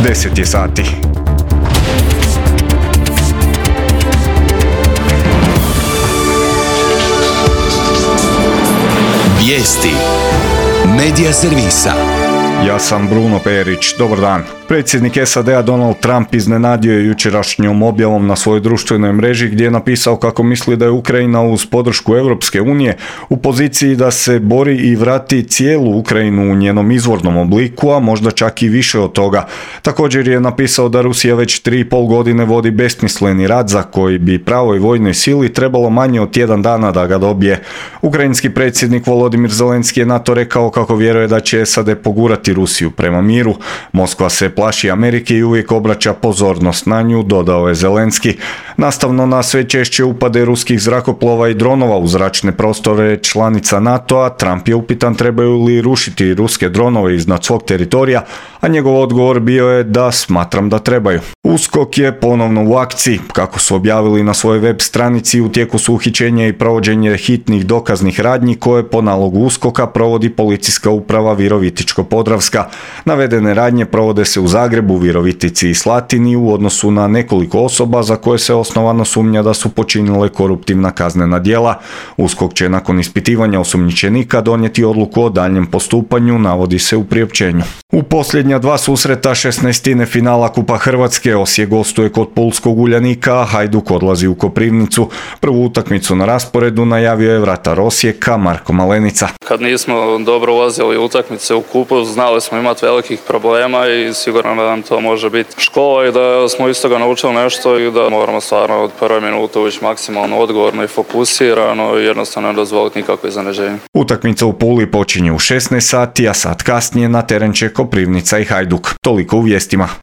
10 je sati. Vijesti Medija servisa. Ja sam Bruno Perić, dobar dan. Predsjednik SAD-a Donald Trump iznenadio je jučerašnjom objavom na svojoj društvenoj mreži gdje je napisao kako misli da je Ukrajina uz podršku Europske unije u poziciji da se bori i vrati cijelu Ukrajinu u njenom izvornom obliku, a možda čak i više od toga. Također je napisao da Rusija već 3,5 godine vodi besmisleni rat za koji bi pravoj vojnoj sili trebalo manje od tjedan dana da ga dobije. Ukrajinski predsjednik Volodimir Zelenski je na to rekao kako vjeruje da će SAD pogurati Rusiju prema miru. Moskva se plaši Amerike i uvijek obraća pozornost na nju, dodao je Zelenski. Nastavno na sve češće upade ruskih zrakoplova i dronova u zračne prostore članica NATO-a, Trump je upitan trebaju li rušiti ruske dronove iznad svog teritorija, a njegov odgovor bio je da smatram da trebaju. USKOK je ponovno u akciji. Kako su objavili na svojoj web stranici, u tijeku su uhićenje i provođenje hitnih dokaznih radnji koje po nalogu USKOK-a provodi Policijska uprava Virovitičko-Podravska. Navedene radnje provode se u Zagrebu, Virovitici i Slatini u odnosu na nekoliko osoba za koje se osnovano sumnja da su počinile koruptivna kaznena djela. USKOK će nakon ispitivanja osumnjičenika donijeti odluku o daljnjem postupanju, navodi se u priopćenju. U posljednja dva susreta 16. finala Kupa Hrvatske Osijek gostuje kod pulskog Uljanika, a Hajduk odlazi u Koprivnicu. Prvu utakmicu na rasporedu najavio je vratar Osijeka Marko Malenica. Kad nismo dobro ulazili u utakmice u kupu, znali smo imati velikih problema i sigurno da nam to može biti škola i da smo iz toga naučili nešto i da moramo stvarno od prve minute ući maksimalno odgovorno i fokusirano i jednostavno ne dozvoliti nikakve iznenađenje. Utakmica u Puli počinje u 16 sati, a sat kasnije na teren će Koprivnica i Hajduk. Toliko u vijestima.